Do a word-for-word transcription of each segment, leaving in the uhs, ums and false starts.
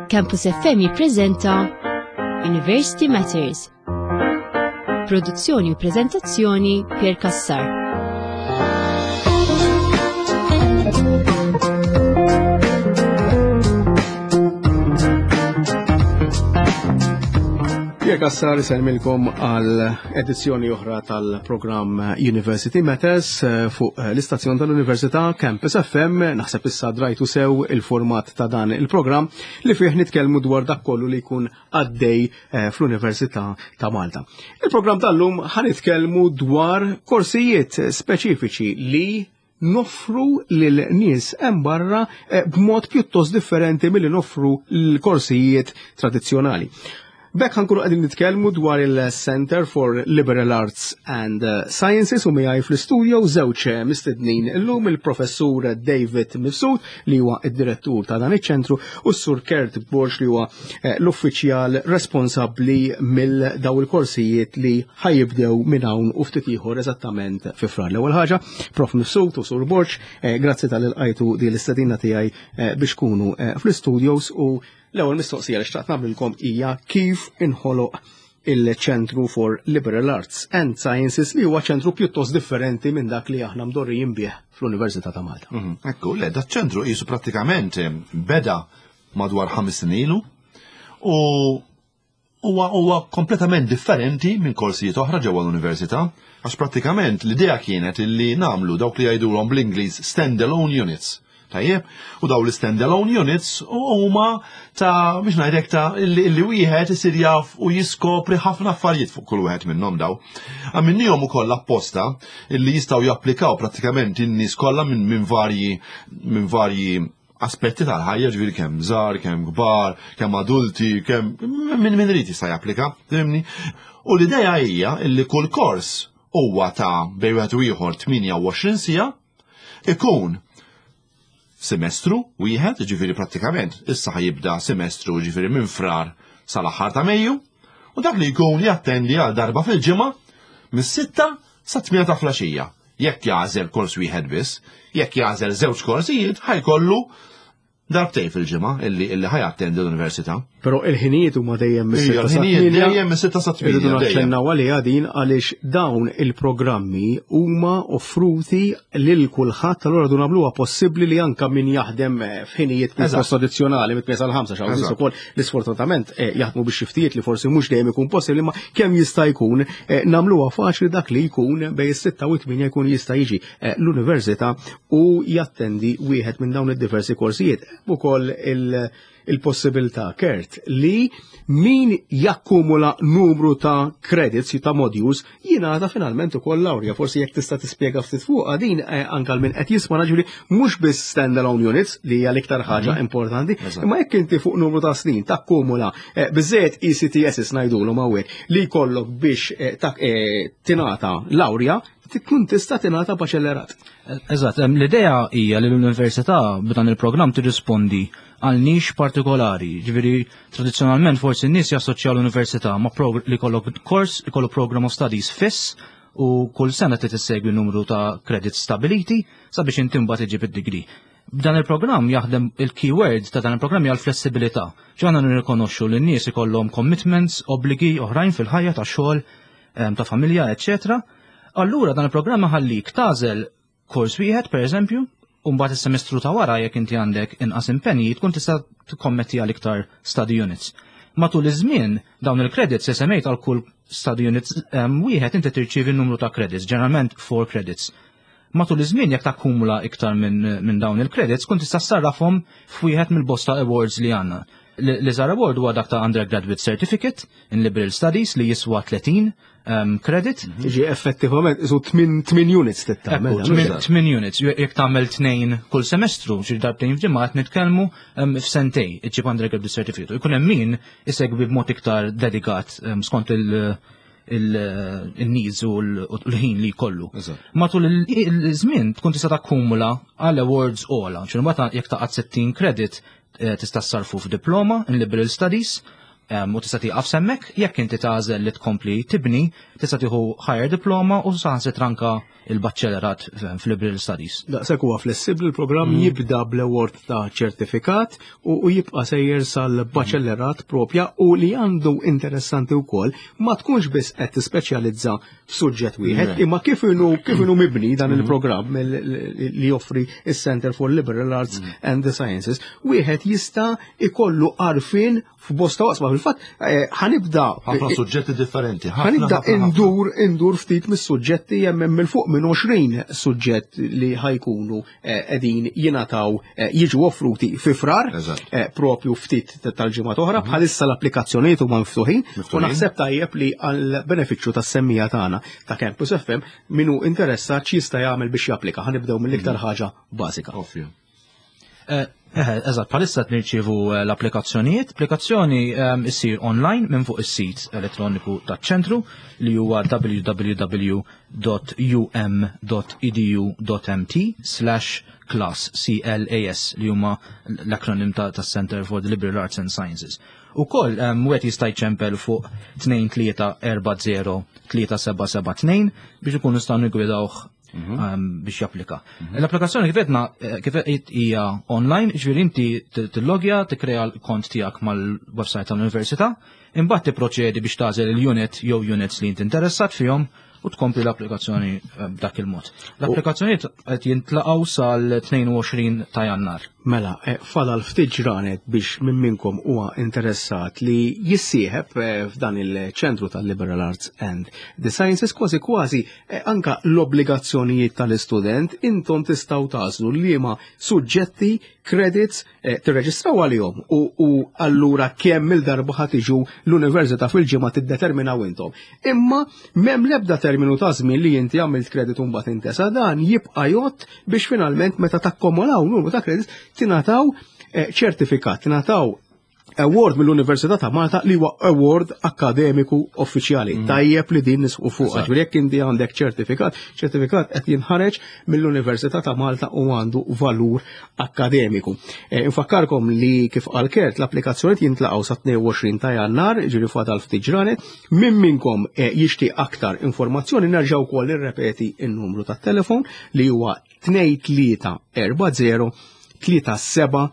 Campus F M jippreżenta University Matters. Produzzjoni u preżentazzjoni, Pier Cassar. Pier Cassar isellmilkom għal edizzjoni oħra tal-programm University Matters eh, fuq eh, l-istazzjon tal-Università Campus F M. Naħseb issa drajtu sew il-format ta' dan il-programm li fih nitkellmu dwar dak kollu li jkun għaddej eh, fl-Università ta' Malta. Il-programm tal-lum ħa nitkellmu dwar korsijiet speċifiċi li noffru lil nies hemm barra b'mod pjuttost differenti milli noffru l-korsijiet tradizzjonali. B'hekk ħa nkunu qegħdin nitkellmu dwar il-Center for Liberal Arts and Sciences u miegħi fl-istudio żewġ mistednin illum, il-professur David Mifsud, li huwa id-direttur ta' dan iċ-ċentru, u s-sur Kurt Borg, li huwa eh, l-uffiċjal responsabbli mill daw il-korsijiet li ħa jibdew minn hawn u ftit ieħor, eżattament fi Frar. L-ewwel ħaġa, Prof Mifsud u Sur Borg, eh, grazzi talli lqajtu di l-istedina tiegħi eh, biex tkunu fl-studios, u l-ewwel mistoqsija li xtaqt nagħmlilkom hija kif inħoloq il-Ċentru for Liberal Arts and Sciences, li huwa ċentru pjuttost differenti minn dak li aħna mdorrijin bih fl-Università ta' Malta. Mhm. Ekku, le, da ċentru jisu prattikament beda madwar ħames snin ilu u huwa huwa kompletament differenti minn korsijiet oħra ġewwa l-università, għax prattikament l-idea kienet illi nagħmlu dawk li jgħidulhom bl-Ingliż stand-alone units. Tajjeb, u daw l-standalone units huma ta' biex ngħidlek ta' illi illi wieħed isir jaf u jiskopri ħafna affarijiet fuq kull wieħed minnhom daw. Għamilnihom ukoll apposta illi jistgħu japplikaw prattikament in-nies kollha minn min varji minn varji aspetti tal-ħajja, ġifieri kemm żgħar, kemm kbar, kemm adulti, kemm minn min irid jista' japplika, fhimni? U l-idea hija illi kull kors huwa ta' bejn wieħed u ieħor tmienja u għoxrin siegħa, ikun semestru wieħed, ġifieri prattikament issa ħa jibda semestru, ġifieri minn Frar sal-aħħar ta' Mejju, u dak li jkun jattendi għal darba fil-ġimgħa mis-sitta sa tmienja ta' filgħaxija. Jekk jagħżel kors wieħed biss, jekk jagħżel żewġ korsijiet, ħa jkollu darbtejn fil-ġimgħa illi illi ħa jattendi l-università. Però il-ħinijiet huma dejjem Ija, mis-sitta sa l-ħinijiet tmienja. Dejjem mis-sitta sa Irridu tmienja, dejjem. naċċennaw għaliha din għaliex dawn il-programmi huma offruti lil kulħadd, allura du nagħmluha possibbli li anka min jaħdem eh, f'ħinijiet pjuttost Eżatt. tradizzjonali mit sal ħamsa xaw nies Eżatt. ukoll li sfortunatament eh, jaħdmu biex xiftijiet li forsi mhux dejjem ikun possibbli, ma kemm jista' jkun eh, nagħmluha faċli dak li jkun bejn is-sitta u t-tmienja jkun jista' jiġi eh, l-università u jattendi wieħed minn dawn id-diversi korsijiet. Ukoll il- il-possibilità, Kurt, li min jakkumula numru ta' credits, ta' modules, jingħata finalment ukoll laurea. Forsi jekk tista' tispjega ftit fuqha din eh, anke għal min qed jisma', ġifieri mhux biss standalone units li hija l-iktar ħaġa importanti, Eżatt. imma jekk inti fuq numru ta' snin takkumula eh, biżejjed E C T S ngħidulhom hawnhekk li jkollok biex eh, tak- eh, tingħata laurea, tkun tista' tingħata baċellerat. Eżatt, em, l-idea hija li l-università b'dan il-programm tirrispondi għal nix partikolari. Ġifieri tradizzjonalment forsi n-nies jassoċjaw l-università ma' progr- li kollok kors, li kollu program of studies fiss u kull sena trid issegwi numru ta' credits stabiliti sabiex inti mbagħad iġib id-degree. B'dan il-programm jaħdem, il-keyword ta' dan il-programm hija l-flessibilità. Ġana nirrikonoxxu li n-nies ikollhom commitments, obbligi oħrajn fil-ħajja ta' xogħol, em, ta' familja, eċċetera. Allura dan il-programm ħallik tagħżel kors wieħed, per eżempju, u mbagħad is-semestru ta' wara, jekk inti għandek inqas impenji, tkun tista' tikkommetti għal iktar study units. Matul iż-żmien dawn il-credits se semmejt, għal kull study units em, wieħed inti tirċievi numru ta' credits, ġeneralment four credits. Matul iż-żmien, jekk takkumula iktar minn min dawn il-credits, kun tista' ssarrafhom f'wieħed mill-bosta awards li għandna. L-iżgħar award huwa dak ta' Undergraduate Certificate in Liberal Studies li jiswa tletin um, credit. Ġi effettivament isu tmien units tittamel. Ekku, tmin tmin units, jekk tagħmel tnejn kull semestru, xi darbtejn f'ġimgħa, qed nitkellmu um, f'sentejn iġġib undergraduate certificate. Ikun hemm min isegwi b'mod iktar dedikat um, skont il- il- il-needs u l- u l-ħin li jkollu. Eżatt. Matul il- il-żmien tkun tista' takkumula għal awards ogħla. Ċinu mbagħad jekk taqgħad sittin credit eh, tista' ssarfu f'diploma in Liberal Studies. U tista' tieqaf s'hemmhekk. Jekk inti tagħżel li tkompli tibni, tista' tieħu higher diploma u saħansitra anka il-baċċellerat fil-Liberal Studies. Daqshekk huwa flessibbli l-programm, mm. jibda bl-award ta' ċertifikat u jibqa' sejjer sal-baċellerat propja, u li għandu interessanti wkoll ma tkunx biss qed tispeċjalizza f'suġġett wieħed, imma kif inhu kif inhu mibni dan mm-hmm. il-programm li joffri is-Center for Liberal Arts mm. and the Sciences, wieħed jista' ikollu għarfien f'bosta oqsma. Fil-fatt eh, ħa nibda ħafna suġġetti differenti. Ħa nibda indur indur ftit mis-suġġetti. Hemm minn fuq minn għoxrin suġġett li ħa jkunu eh, qegħdin jingħataw, eh, jiġu offruti fi Frar, propju ftit tal-ġimgħa oħra. Mhm. Bħalissa l-applikazzjonijiet huma miftuħin u naħseb tajjeb li għal benefiċċju tas-semmiegħa tagħna ta' Campus F M, min hu interessat x'jista' jagħmel biex japplika. Ħa nibdew mill-iktar mhm. ħaġa bażika. Eh, eżatt, bħalissa nirċievu eh, l-applikazzjonijiet. Applikazzjoni ehm, issir online minn fuq is-sit elettroniku taċ-ċentru li huwa w w w punt u m punt edu punt m t slash class C L A S, li huma l-akronim ta' Center for the Liberal Arts and Sciences. Ukoll um, wieħed jista' jċempel fuq tnejn tlieta erba' zero tlieta seba' seba' tnejn biex ikun nistgħu nigwidawh Mhm. um, biex japplika. Mhm. L-applikazzjoni, kif għedna, eh, kif hija online, ġifieri inti tillogja, tikkrea l-kont tiegħek mal-website tal-università, imbagħad tipproċedi biex tagħżel il-unit jew units li inti interessat fihom u tkompli l-applikazzjoni eh, b'dak il-mod. L-applikazzjonijiet qed jintlaqgħu sal-tnejn u għoxrin ta' Jannar. Mela, eh, fadal ftit ġranet biex minn minnkom huwa interessat li jissieħeb eh, f'dan il-ċentru tal-Liberal Arts and the Sciences, kważi kważi anka l-obbligazzjonijiet tal-istudent, intom tistgħu tagħżlu liema suġġetti, credits tirreġistraw għalihom u, u allura kemm il-darba ħa tiġu l-università fil-ġimgħa tiddeterminaw intom. Imma m'hemm l-ebda terminu ta' żmien li inti għamilt credit u mbagħad intesa, dan jibqa' jgħodd biex finalment meta takkomolaw numru ta' credits tingħataw eh, ċertifikat, tingħataw award mill-Università ta' Malta li huwa award akademiku uffiċjali. Mm. Tajjeb li din nisħqu fuq. Ġifieri jekk inti għandek ċertifikat, ċertifikat qed jinħareġ mill-Università ta' Malta u għandu valur akademiku. E, infakkarkom li, kif qal Kurt, l-applikazzjoni jintlaqgħu sa tnejn u għoxrin ta' Jannar, ġifieri fadal ftit ġranet. Min minnkom e, jixtieq aktar informazzjoni, nerġgħu wkoll irrepeti n-numru tat-telefon li huwa tnejn tlieta erba' zero tlieta seba'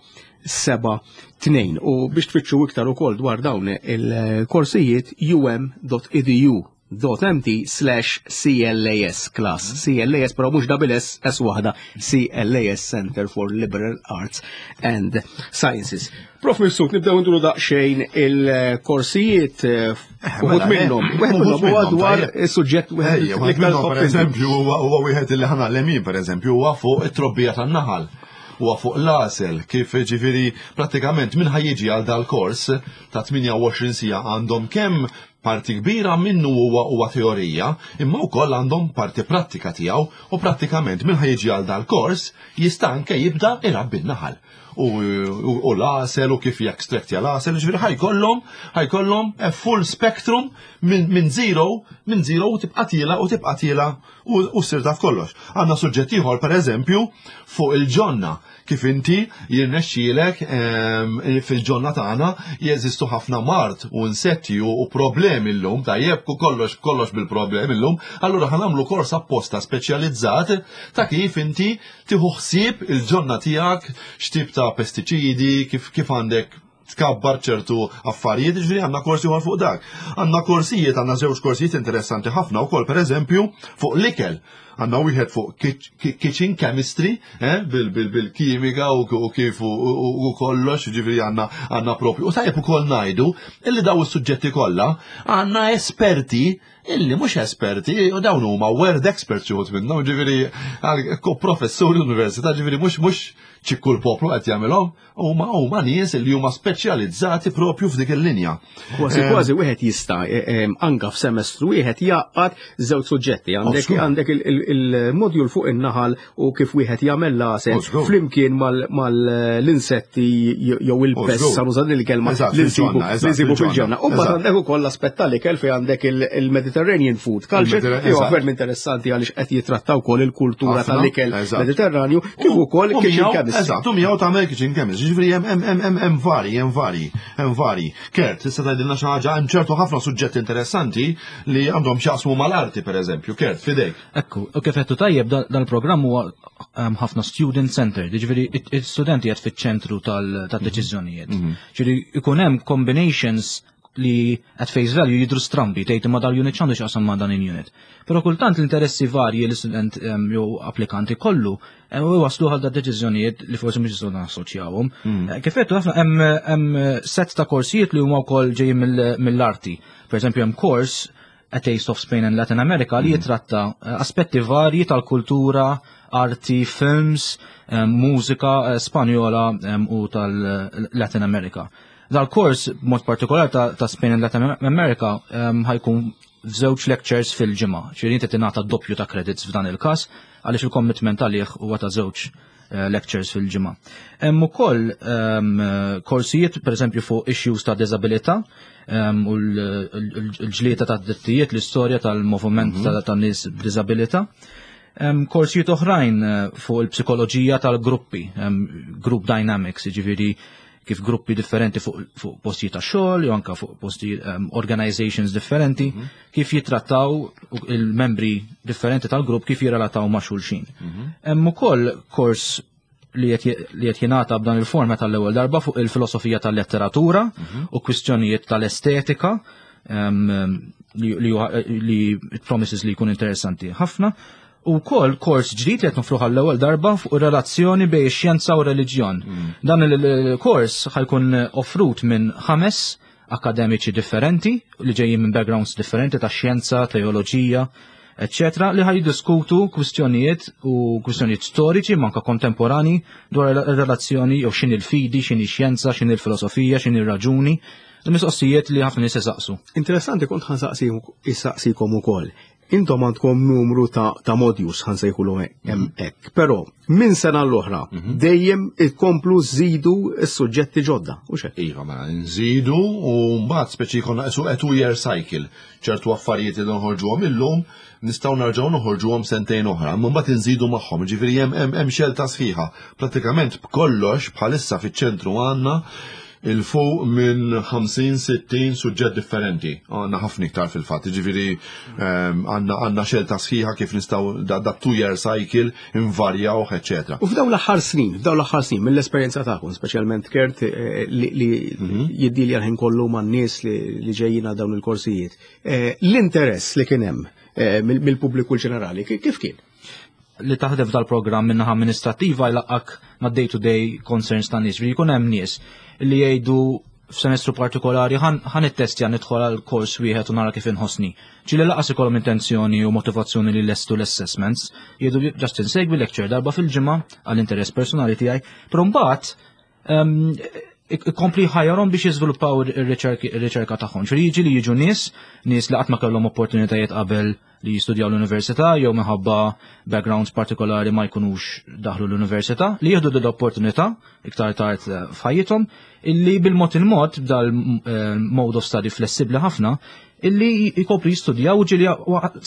seba' tnejn. U biex tfittxu iktar ukoll dwar dawn il-korsijiet, u m punt edu punt m t slash C L A S class. C L A S, però mhux double S, S waħda, C L A S, Center for Liberal Arts and Sciences. Prof Mifsud, nibdew nduru daqsxejn il-korsijiet, eh, uħud mela, minnhom. eh, Wieħed uħud minnhom huwa minnhom, dwar tajjeb. is-suġġett wieħed Ejja, wieħed l-iktar minnhom, per top. eżempju, huwa huwa wieħed li ħa ngħallem, per eżempju, huwa fuq it-trobbija tan-naħal. Huwa fuq l-għasel, kif ġifieri prattikament min ħa jiġi għal dal-kors ta' tmienja u għoxrin siegħa, għandhom kemm parti kbira minnu huwa huwa teorija, imma wkoll għandhom parti prattika tiegħu, u prattikament min ħa jiġi għal dal-kors jista' anke jibda irabbi n-naħal. U, u, u l-għasel u kif jekstraktja l-għasel, ġifieri ħa jkollhom ħa jkollhom a full spectrum minn min zero, minn zero u tibqa' tiela' u tibqa' tiela' u, u ssir taf kollox. Għandna suġġett ieħor, per eżempju, fuq il-ġonna, kif inti jirnexxielek em, fil-ġonna tagħna jeżistu ħafna mard u insetti u, u problemi llum, tajjeb, ku kollox kollox bil-problemi llum, allura ħa nagħmlu kors apposta speċjalizzat ta' kif inti tieħu ħsieb il-ġonna tiegħek, x'tip ta' pestiċidi, kif kif għandek tkabbar ċertu affarijiet, ġifieri għandna korsi ieħor fuq dak. Għandna korsijiet, għandna żewġ korsijiet interessanti ħafna wkoll, per eżempju, fuq l-ikel. Għandna wieħed fuq kitch- kitchen chemistry, eh, bil-kimika u u kif u- u u kollox, ġifieri għandna għandna propju. U tajjeb ukoll ngħidu illi daw is-suġġetti kollha għandna esperti illi mhux esperti, u dawn huma world experts xi wħud minnhom, ġifieri għal- professuri l-università, ġifieri mhux mhux ċikku l-poplu qed jagħmilhom, huma huma nies li huma speċjalizzati propju f'dik il-linja. Kważi kważi wieħed jista' eh, eh, anka f'semestru wieħed jaqgħad żewġ suġġetti. Għandek Żgur. għandek il-modjul fuq in-naħal u kif wieħed jagħmel l-għasel Żgur. flimkien mal-insetti jew il-pest, Żgur. sa nuża din il-kelma, Eżatt, li nsibu fil-ġonna, eżatt, li nsibu fil-ġonna. fil-ġonna. U mbagħad Eżatt. għandek ukoll l-aspett tal-ikel fejn għandek il-Mediterranean food culture, Il-Mediterranean, li huwa eżatt. ferm interessanti għaliex qed jitrattaw ukoll il-kultura Ħafna, tal-ikel eżatt. Mediterranju kif ukoll U kitchen miegħu, chemistry. chemistry. Eżatt, u miegħu tagħmel kitchen chemistry. Ġifieri hemm hemm hemm hemm hemm vari, hemm vari, hemm vari. Kurt, tista' tgħidilna xi ħaġa, hemm ċertu ħafna suġġetti interessanti li għandhom x'jaqsmu mal-arti, pereżempju. Kurt, fidejk. Ekku, u kif għedtu tajjeb, dan il-programm huwa um, ħafna student centered, ġifieri il-studenti qed fiċ-ċentru tal-deċiżjonijiet. Ġifieri ikun hemm combinations li at face value jidru strambi, tgħid ma dal-unit x'għandu x'jaqsam ma dan il-unit. Però kultant l-interessi varji li student um, jew applikanti kollu u waslu għal da deċiżjonijiet li forsi mhux jistgħu nassoċjawhom. Eh, Kif għedtu ħafna hemm hemm set ta' korsijiet li huma wkoll ġejjin mill- mill-arti. Per eżempju, hemm kors A Taste of Spain and Latin America li jitratta eh, aspetti varji tal-kultura, arti, films, eh, mużika eh, Spanjola eh, u tal-Latin America. Dal-kors, mod partikolari ta', ta' Spain and Latin America, um, ħa jkun f'żewġ lectures fil-ġimgħa. Ġifieri inti tingħata doppju ta' credits f'dan il-każ għaliex il-commitment għalih huwa ta' żewġ eh, lectures fil-ġimgħa. Hemm ukoll um, korsijiet pereżempju fuq issues ta' disabilità um, u l-ġlieda ta' drittijiet, l-istorja tal-moviment ta' ta' nies b'diżabilità. Um, korsijiet oħrajn eh, fuq il-psikoloġija tal-gruppi, um, group dynamics, ġifieri kif gruppi differenti fuq, fuq postijiet ta' xogħol jew anka fuq postijiet um, organizations differenti, kif jitrattaw il-membri differenti tal-grupp, kif jirrelataw ma' xulxin. Hemm ukoll kors li qed li qed jingħata b'dan il-format tal-ewwel darba fuq il-filosofija tal-letteratura u kwistjonijiet tal-estetika um, li, li, li it promises li jkun interessanti ħafna. U kol kors ġdid li qed nofruh għall-ewwel darba fuq ir-relazzjoni bejn ix-xjenza u reliġjon. Dan il-kors ħa jkun offrut minn ħames akademiċi differenti li ġejjin minn backgrounds differenti ta' xjenza, teoloġija, eccetera, li ħa jiddiskutu kwistjonijiet u kwistjonijiet storiċi manka kontemporani dwar ir-relazzjoni jew x'inhi l-fidi, x'inhi x-xjenza, x'inhi l-filosofija, x'inhi r-raġuni, il-mistoqsijiet li ħafna nies isaqsu. Interessanti, kont ħa nsaqsikom ukoll. Intom għandkom numru ta', ta' modules, ħa nsejħulu hekk, però minn sena l-oħra dejjem ikomplu żidu s-suġġetti ġodda, u xek? Iva, mela, nżidu u mbagħad speċi jkollna qisu a two-year cycle. Ċertu affarijiet li noħorġuhom illum nistgħu nerġgħu noħorġuhom sentejn oħra, imma mbagħad inżidu magħhom, ġifieri hemm hemm hemm xelta sħiħa. Pratikament b'kollox bħalissa fiċ-ċentru għandna 'il fuq minn ħamsin sittin suġġett differenti. Għandna ħafna iktar fil-fatt, ġifieri ehm, għandna għandna xelta sħiħa kif nistgħu da, da two-year cycle invarjaw, eccetera. U f'dawn l-aħħar snin, f'dawn l-aħħar snin, mill-esperjenza tagħkom, speċjalment Kurt eh, li, li jiddilja l-ħin kollu man-nies li, li ġejjin għal dawn il-korsijiet, eh, l-interess li kien hemm eh, mill- mill-pubbliku ġenerali, ki- kif kien? Li taħdem f'dal-programm minnaħa amministrativa jlaqqak ma' day-to-day concerns ta' nies. Ġifieri jkun hemm nies li jgħidu f'semestru partikolari ħa nittestja, nidħol għal kors wieħed u nara kif inħossni. Ġieli lanqas ikollhom intenzjoni u motivazzjoni li lestu l-assessments, jgħidu just insegwi lecture darba fil-ġimgħa għall-interess personali tiegħi, però mbagħad em, ikompli ħajjarhom biex jiżviluppaw ir-riċerka tagħhom. Ġifieri jiġi li jiġu nies, nies li qatt ma kellhom opportunitajiet qabel li jistudjaw l-università jew minħabba backgrounds partikolari ma jkunux daħlu l-università, li jieħdu l-opportunità iktar tard eh, f'ħajjithom, illi bil-mod il-mod b'dal eh, mode of study flessibli ħafna illi jkopri jistudjaw u ġieli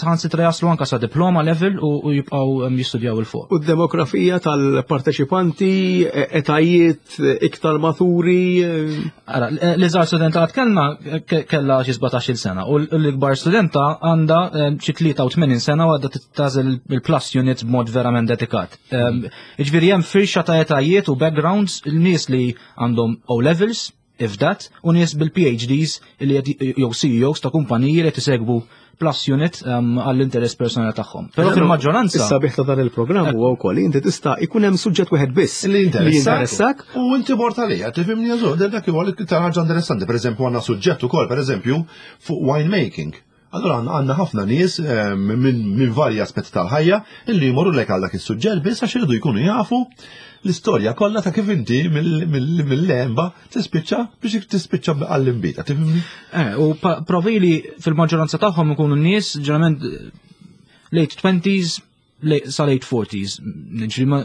saħansitra jaslu anka sa diploma level u u jibqgħu em, jistudjaw 'il fuq. U d-demografija tal-parteċipanti, eh, etajiet eh, iktar maturi, eh, Ara, l-iżgħar studenta għad kellna ke- kella xi sbatax-il sena u l-ikbar studenta għandha eh, xi tlieta u tmenin sena u għadha tagħżel il-plus units b'mod verament dedikat. Em, Jiġifieri hemm firxa ta' etajiet u backgrounds, il-nies li għandhom O levels, if that, u nies bil-P H Ds li qed jew C E Os ta' kumpaniji li qed isegwu plus unit em, għall-interess personali tagħhom. Però fil-maġġoranza Is-sabiħ ta' dan il-programm huwa wkoll li inti tista' ikun hemm suġġett wieħed biss Li li jinteressak. U inti mort għalija, tifhimni jażu, dak huwa l-iktar ħaġa interessanti. Per eżempju, għandna suġġett ukoll, per eżempju, fuq winemaking. Allora għandna għandna ħafna nies eh, minn min varji aspetti tal-ħajja illi jmorru lek għal dak is-suġġett biss għax iridu jkunu jafu l-istorja kollha ta' kif inti mill-lemba tispiċċa biex tispiċċa għall-imbita, tifhimni? Eh, u pa- profili fil-maġġoranza tagħhom ikunu nies ġeneralment eh, late twenties late, sa late forties. Ġifieri ma-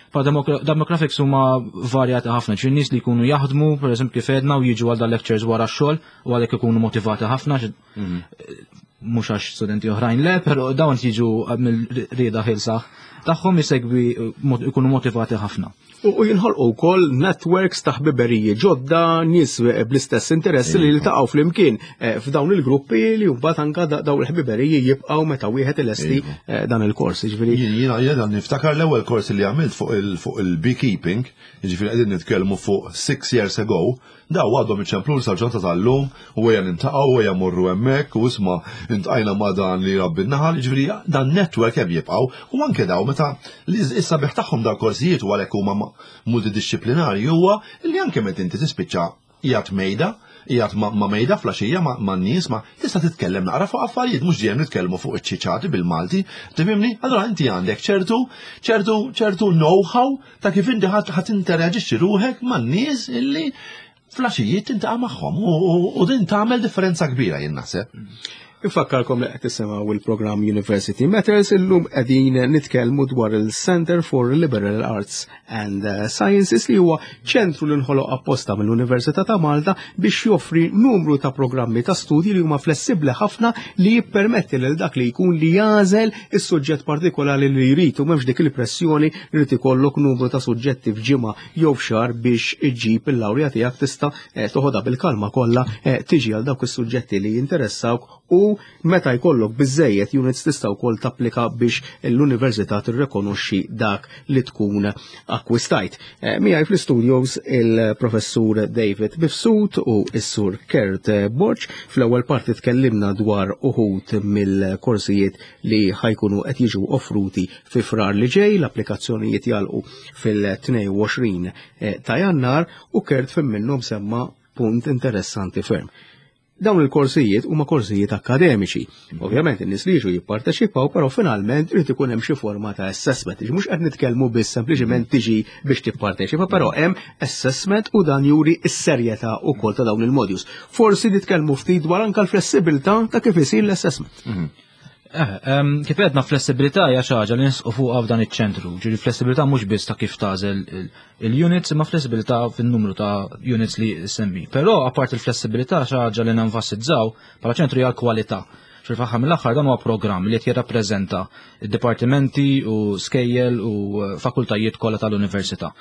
pa demogra- demographics huma varjati ħafna, ġifieri nies li jkunu jaħdmu, per eżempju, kif edna, u jiġu għal dal lectures wara x-xogħol u għalhekk ikunu motivati ħafna. Mhux għax studenti oħrajn le, però dawn jiġu mill-rieda ħielsa tagħhom, jisegwi, ikunu motivati ħafna. U jinħolqu wkoll networks ta' ħbiberiji ġodda, nies bl-istess interessi li jiltaqgħu flimkien eh, f'dawn il-gruppi li mbagħad anka dawn il-ħbiberiji jibqgħu meta wieħed ilesti eh, dan il-kors. Jiġifieri Jiena jiena niftakar l-ewwel kors li għamilt fuq il-beekeeping, jiġifieri qegħdin nitkellmu fuq six years ago, daw għadhom iċemplu sal-ġurnata tal-lum u ejja niltaqgħu u ejja morru hemmhekk u isma' iltqajna ma' dan li rabbi n-naħal, jiġifieri dan network hemm jibqgħu u anke daw meta li issa biħ tagħhom dal korsijiet u għalhekk huma multidisciplinari huwa li anke meta inti tispiċċa qiegħed mejda, qiegħed ma' mejda filgħaxija ma' nies ma tista' titkellem naqra fuq affarijiet, mhux dejjem nitkellmu fuq iċ-ċiċati bil-Malti, tifhimni? Allura inti għandek ċertu ċertu ċertu know-how ta' kif inti ħadd interaġixxi ruħek man-nies illi filgħaxijiet tiltaqa' magħhom u din tagħmel differenza kbira, jien naħseb. Infakkarkom li qed tisimgħu il-programm University Matters. Illum qegħdin nitkellmu dwar il-Center for Liberal Arts and Sciences, li huwa ċentru li nħoloq apposta mill-Università ta' Malta biex joffri numru ta' programmi ta' studji li huma flessibbli ħafna, li jippermetti lil dak li jkun li jagħżel is-suġġett partikolari li jrid u m'hemmx dik il-pressjoni li trid ikollok numru ta' suġġetti f'ġimgħa jew f'xahar biex iġġib il-lawrja tiegħek. Tista' eh, toħodha bil-kalma kollha, eh, tiġi għal dawk is-suġġetti li jinteressawk u meta jkollok biżejjed units tista' wkoll tapplika biex l-università tirrekonoxxi dak li tkun akkwistajt. Eh, miegħi fl-studios il-professur David Mifsud u s-sur Kurt Borg. Fl-ewwel parti tkellimna dwar uħud mill-korsijiet li ħa jkunu qed jiġu offruti fi Frar li ġej, l-applikazzjonijiet jagħlqu fil-tnejn u għoxrin eh, ta' Jannar, u Kurt fim minnhom semma punt interessanti ferm. Dawn il-korsijiet huma korsijiet akademiċi. Ovvjament in-nies li jiġu jipparteċipaw, però finalment irid ikun hemm xi forma ta' assessment. Mhux qed nitkellmu biss sempliċement tiġi biex tipparteċipa, però hemm assessment u dan juri s-serjetà wkoll ta' dawn il-modules. Forsi nitkellmu ftit dwar anke l-flessibilità ta' kif isir l-assessment. Eh, kif għedna, flessibilità hija xi ħaġa li nisqu fuqha f'dan iċ-ċentru. Ġifieri flessibilità mhux biss ta' kif tagħżel il-units, imma flessibilità fin-numru ta' units li semmi. Però apart il-flessibilità, xi ħaġa li nenfasizzaw bħala ċentru hija l-kwalità. Fil-faħħa mill-aħħar dan huwa programm li qed jirrappreżenta id-dipartimenti u skejjel u fakultajiet kollha tal-università.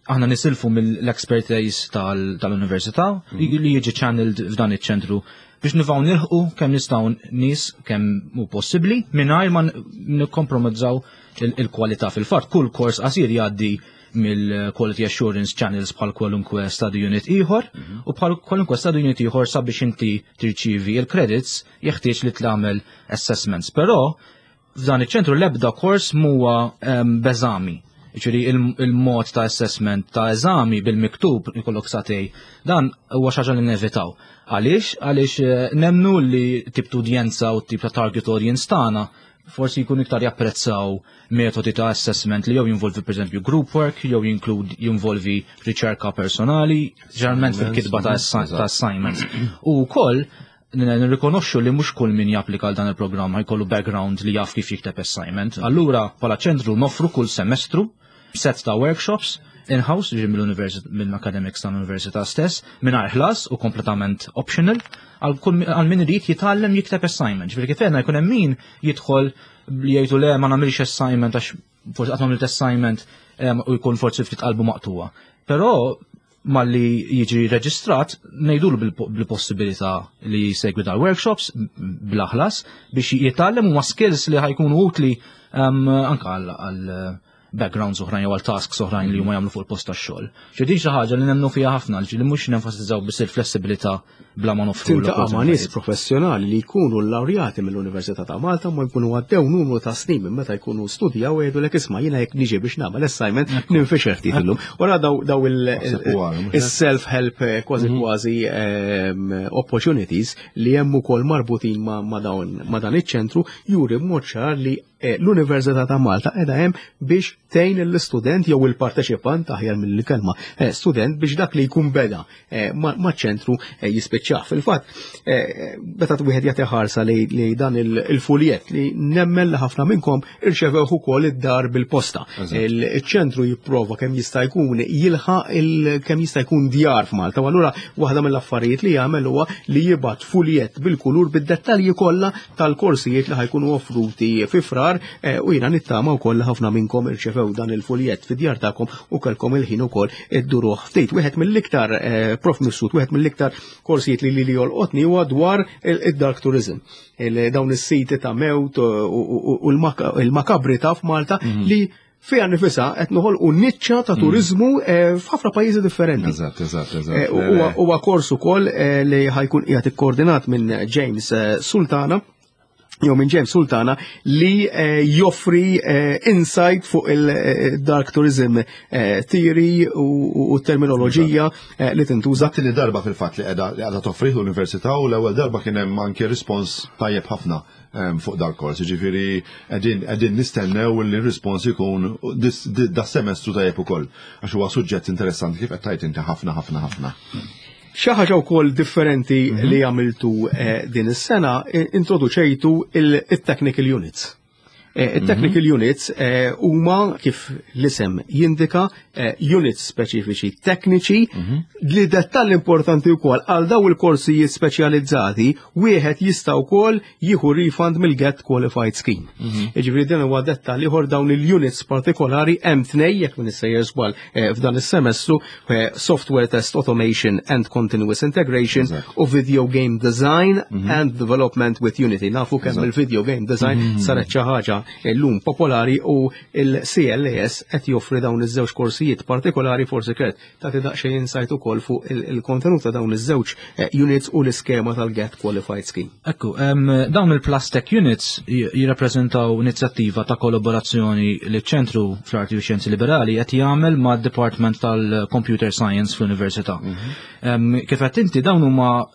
Aħna nisilfu mill-expertise tal-università li jiġi channeled f'dan iċ-ċentru biex nivaw nilħqu kemm nistgħu nies kemm hu possibbli mingħajr ma nikkompromizzaw il-kwalità. Fil-fatt kull kors qasir jgħaddi mill-quality assurance channels bħal kwalunkwe study unit ieħor u bħal kwalunkwe study unit ieħor, sabiex inti tirċivi il-credits jeħtieġ li tagħmel assessments. Però f'dan iċ-ċentru l-ebda kors huwa b'eżami. Ġifieri il-mod ta' assessment ta' eżami bil-miktub ikollok sagħtejn, dan huwa xi ħaġa li nevitaw. Għaliex? Għaliex eh, nemnu li tip ta' udjenza u tip ta' target audience tagħna forsi jkun iktar japprezzaw metodi ta' assessment li jew jinvolvi, per esempio, group work, jew jinvolvi riċerka personali, ġeneralment fil-kitba ta' assignments. U wkoll nirrikonoxxu li mhux kull min japplika għal dan il-programm jkollu background li jaf kif jikteb assignment. Allura bħala ċentru noffru kull semestru set ta' workshops in-house, ġi mill-academics tal-università stess, mingħajr ħlas u kompletament optional, għal min irid jitgħallem jikteb assignment. Ġifieri kif għedna, jkun hemm min jidħol li jgħidu: "Le, ma nagħmilx assignment għax forsi qatt m'għamilt assignment," u jkun forsi ftit qalbu maqtuwa. Però malli jiġi reġistrat, ngħidulu bil-possibilità li jsegwi dal-workshops bla ħlas biex jitgħallem huma skills li ħa jkunu utli anka għal backgrounds oħrajn jew għal tasks oħrajn li huma jagħmlu fuq il-post tax-xogħol. Ġi din xi ħaġa li nemmnu fiha ħafna, li mhux nenfasizzaw biss il-flessibilità bla ma noffru. Tiltaqa' ma' nies professjonali li jkunu laureati mill-Università ta' Malta, ma jkunu għaddew numru ta' snin minn meta jkunu studjaw u jgħidulek: "Isma', jiena jekk niġi biex nagħmel assignment ninfixer ftit illum." Wara daw daw il-self-help eh, kważi mhm. kważi ehm, opportunities li hemm ukoll marbutin ma' dawn ma' dan iċ-ċentru juri b'mod ċar li eh, l-Università ta' Malta qiegħda hemm biex tgħin l-istudent jew il-parteċipant, aħjar mill-kelma eh, student, biex dak li jkun beda eh, maċ-ċentru eh, jispiċċah. Fil-fatt, meta wieħed jagħti ħarsa li dan il-fuljet li nemmen li ħafna minnkom irċevew ukoll id-dar bil-posta. Il-ċentru jipprova kemm jista' jkun jilħaq kemm jista' jkun djar f'Malta. U allura waħda mill-affarijiet li jagħmel huwa li jibgħat fuljet bil-kulur bid-dettalji kollha tal-korsijiet li ħa jkunu offruti fi Frar, u jiena nittama wkoll li ħafna minnkom irċevew dan il-fuljet fid-djar tagħkom u kellkom il-ħin ukoll idduruh ftit. Wieħed mill-iktar, eh, Prof Mifsud, wieħed mill-iktar korsijiet li li jolqotni huwa dwar id-dark tourism. Dawn is-siti ta' mewt u l-makabri ta' f'Malta mhm. li fiha nifisha qed noħolqu niċċa ta' mhm. turizmu eh, f'ħafna pajjiżi differenti. Eżatt, eżatt, eżatt. Eh, huwa kors ukoll li ħa jkun qiegħed ikkoordinat minn James Sultana jew minn James Sultana li eh, joffri eh, insight fuq il-dark tourism eh, theory u terminoloġija li tintuża. Tieni darba fil-fatt li qiegħda li qiegħda toffri l-università u l-ewwel darba kien hemm anke rispons tajjeb ħafna fuq dal-kors. Ġifieri qegħdin qegħdin nistennew li r-rispons ikun da semestru tajjeb ukoll, għax huwa suġġett interessanti, kif qed tgħid inti, ħafna ħafna ħafna. Xi ħaġa wkoll differenti mhm. li għamiltu eh, din is-sena, introduċejtu il-technical units. Eh, il-technical mhm. units eh, huma, kif l-isem jindika, units speċifiċi tekniċi mhm. li dettall importanti wkoll għal daw il-korsijiet speċjalizzati wieħed jista' wkoll jieħu refund mill-Get Qualified Scheme. Jiġifieri din huwa dettall ieħor. Dawn il-units partikolari hemm tnej, jekk m'iniex sejjer żball, f'dan is-semestru: Software Test Automation and Continuous Integration u Video Game Design and Development with Unity. Nafu kemm il-video game design saret xi ħaġa llum popolari u il-C L A S qed joffri dawn iż-żewġ korsijiet partikolari. Forsi Kurt tagħti daqsxejn insight ukoll fuq il-kontenut ta' dawn iż-żewġ eh, units u l-iskema tal-Get Qualified Scheme. Ekku, dawn il-PlusTech Units jirrappreżentaw inizjattiva ta' kollaborazzjoni li ċentru fl-Arti u Xjenzi Liberali qed jagħmel ma' Department tal-Computer Science fl-Università. Mhm. Kif qed inti, dawn huma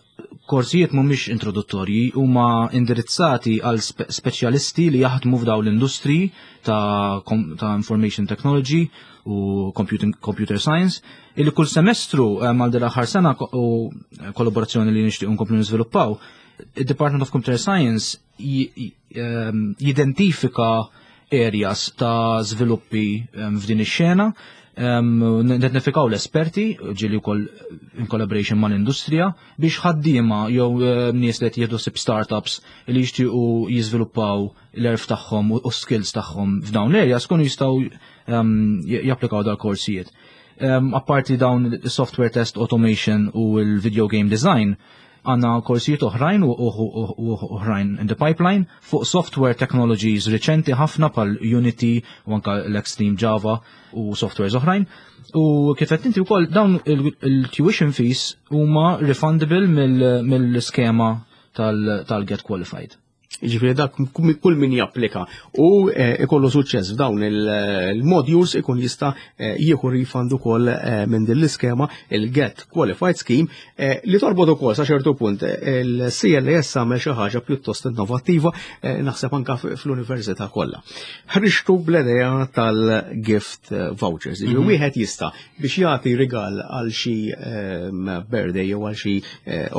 korsijiet mhumiex introduttorji, huma indirizzati għal speċjalisti li jaħdmu f'daw l-industri ta', ta' information technology u computing, computer science, illi kull semestru mal dil-aħħar sena u kollaborazzjoni li nixtieq nkomplu niżviluppaw, il-Department of Computer Science jidentifika areas ta' żviluppi f'din ix-xena, nidentifikaw l-esperti, ġieli wkoll in collaboration mal-industrija, biex ħaddiema jew nies li qed jieħdu ħsieb startups li jixtiequ jiżviluppaw l-għerf tagħhom u skills tagħhom f'dawn l-areas kunu jistgħu japplikaw dal-korsijiet. Apparti dawn software test automation u l-video game design, għandna korsijiet oħrajn u oħrajn in the pipeline fuq software technologies riċenti ħafna bħal Unity u anka l-Extreme Java u softwares oħrajn. U kif qed inti wkoll, dawn il-tuition fees huma refundable mill-skema tal-Get Qualified. Ġifieri dak kull min japplika u eh, ikollu suċċess f'dawn il-modules ikun jista' eh, jieħu refund ukoll eh, minn din l-iskema, il-Get Qualified Scheme, li torbot ukoll sa ċertu punt. Il-C L A S għamel xi ħaġa pjuttost innovattiva, naħseb anka fl-università kollha. Ħriġtu bl-idea tal-gift vouchers. Mhm. Wieħed jista' biex jagħti rigal għal xi birthday jew għal xi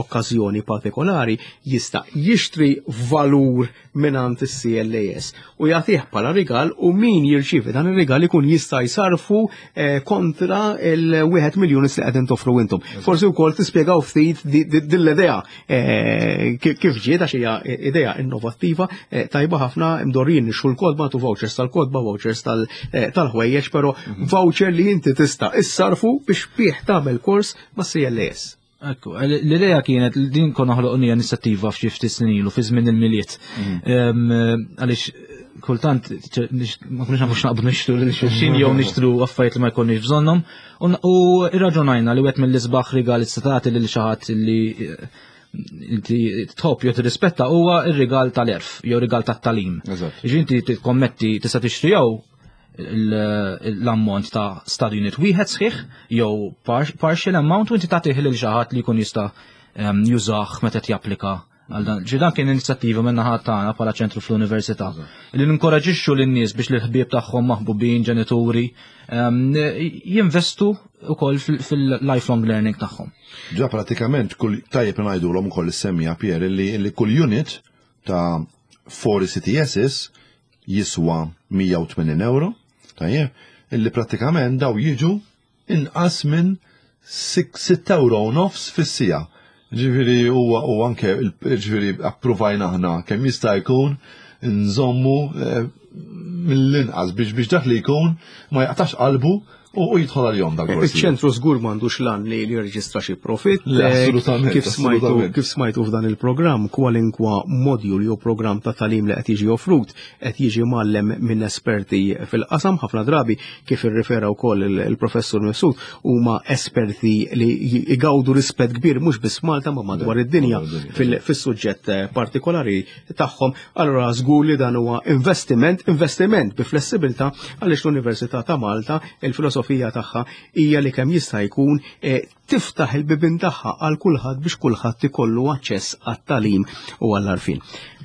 okkażjoni partikolari, jista' jixtri valur mingħand is-C L A S u jagħtih bħala rigal, u min jirċievi dan ir-rigal ikun jista' jsarfu eh, kontra il-wieħed miljun li qegħdin toffru intom. Forsi wkoll tispjegaw ftit din l-idea eh, kif ġiet, għax hija idea innovattiva eh, tajba ħafna. Imdorrijin nixtru l-kotba tu vouchers tal-kotba, vouchers tal-ħwejjeġ, però mhm. voucher li inti tista' issarfu biex bih tagħmel kors ma' C L A S. Ekku, l-idea kienet din konna ħloqnija inizjattiva f'xi ftit snin ilu fi żmien il-Milied. Mhm. Għaliex kultant ma kunux nafu x'naqbdu nixtru lil xulxin jew nixtru affarijiet li ma jkollniex bżonnhom. U irraġunajna li wieħed mill-isbaħ rigali tagħti lil xi ħadd li inti tħobb jew tirrispetta huwa ir-rigal tal-għerf jew rigal tat-tagħlim. Ġi inti tikkommetti, tista' tixtri jew l-ammont ta' study unit wieħed sħiħ jew partial amount u inti tagħtih lil xi ħadd li jkun jista' jużah meta japplika Għal dan, ġi dan kien inizjattiva minn naħa tagħna bħala ċentru fl-università. Li ninkoraġixxu lin-nies biex l-ħbieb tagħhom maħbubin, ġenituri, ehm, jinvestu wkoll fil-lifelong learning tagħhom. Ġa pratikament kull tajjeb ngħidulhom ukoll is-semmiegħa Pier li, li kull unit ta' four E C T Ss jiswa mija u tmenin euro, tajjeb, illi pratikament daw jiġu inqas minn sitt euro u nofs fis-siegħa. Ġifieri huwa u anke ġifieri approvajna aħna kemm jista' jkun nżommu eh, mill-inqas biex biex dak li jkun ma jaqtax qalbu u u jidħol għal-jom dak. Iċ-ċentru żgur m'għandux lan li li jirreġistra xi profit. Le, Eh, assolutament, Kif smajtu assolutament. kif smajtu f'dan il-programm, kwalinkwa module jew programm ta' tagħlim li qed jiġi offrut qed jiġi mgħallem minn esperti fil-qasam. Ħafna drabi, kif irrifera wkoll il- il-professur Mifsud, huma esperti li jgawdu rispett kbir mhux biss Malta ma madwar id-dinja madwar id-dinja. fil- fis-suġġett eh, partikolari tagħhom. Allura żgur li dan huwa investiment, investiment bi flessibilità, għaliex l-Università ta' Malta il-filosofija tagħha hija li kemm jista' jkun eh, tiftaħ il-bibin tagħha għal kulħadd biex kulħadd ikollu aċċess għat-tagħlim u għall-għarfien.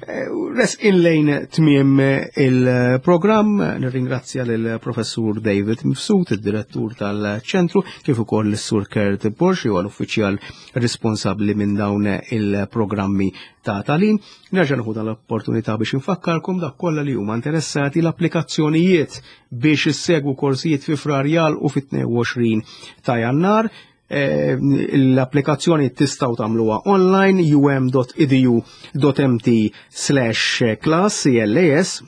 Eh, Resqin lejn tmiem il-programm, nirringrazzja lill-professur David Mifsud, id-direttur tal-ċentru, kif ukoll l-Sur Kurt Borg, huwa l-uffiċjal responsabbli minn dawn il-programmi ta' tagħlim. Nerġa' nieħu dan l-opportunità biex infakkarkom dak kollha li huma interessati, l-applikazzjonijiet biex issegwu korsijiet fi Frar u fit-tnejn u għoxrin ta' Jannar. Eh, L-applikazzjoni tistgħu tagħmluha online um dot edu dot M T slash class C L A S.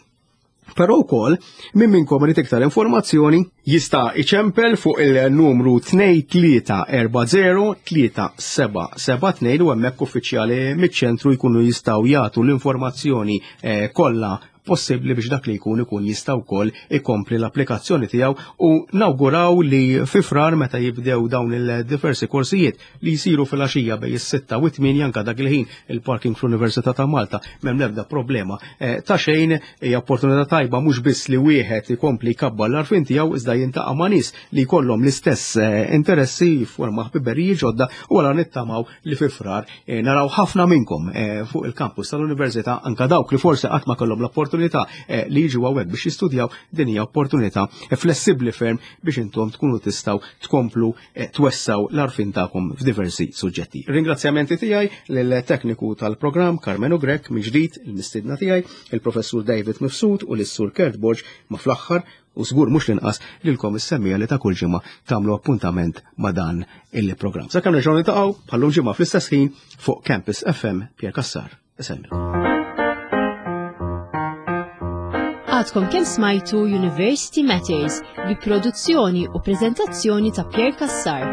Però wkoll min minnkom irid iktar informazzjoni jista' iċempel fuq il-numru tnejn tlieta erba' żero tlieta seba' seba' tnejn u hemmhekk uffiċjali miċ-ċentru jkunu jistgħu jagħtu l-informazzjoni eh, kollha possibbli biex dak li jkun ikun jista' wkoll ikompli l-applikazzjoni tiegħu. U nawguraw li fi Frar, meta jibdew dawn il-diversi korsijiet li jsiru fil-għaxija bejn is-sitta u t-tmienja, anka dak il-ħin il-parking fl-Università ta' Malta m'hemm l-ebda problema eh, ta' xejn. Hija opportunità tajba mhux biss li wieħed ikompli jkabbar l-għarfien tiegħu, iżda jiltaqa' ma' nies li jkollhom l-istess eh, interessi, jifforma ħbiberiji ġodda. U għala nittamaw li fi Frar eh, naraw ħafna minnkom eh, fuq il-kampus tal-Università, anka dawk li forsi qatt ma kellhom l-opportunità eh, li jiġu hawnhekk biex jistudjaw. Din hija opportunità eh, flessibbli ferm biex intom tkunu tistgħu tkomplu eh, twessaw l-għarfien tagħkom f'diversi suġġetti. Ringrazzjamenti tiegħi lill-tekniku tal-programm Carmenu Grech, mill-ġdid il-mistidna tiegħi il-professur David Mifsud u lis-Sur Kurt Borg, ma fl-aħħar u żgur mhux l-inqas lilkom is-semmiegħa li ta' kull ġimgħa tagħmlu appuntament ma' dan il-programm. Sakemm nerġgħu niltaqgħu bħallum ġimgħa fl-istess ħin fuq Campus F M, Pierre Cassar. Isellmilkom. Għadkom kemm smajtu University Matters bi produzzjoni u prezentazzjoni ta' Pierre Cassar.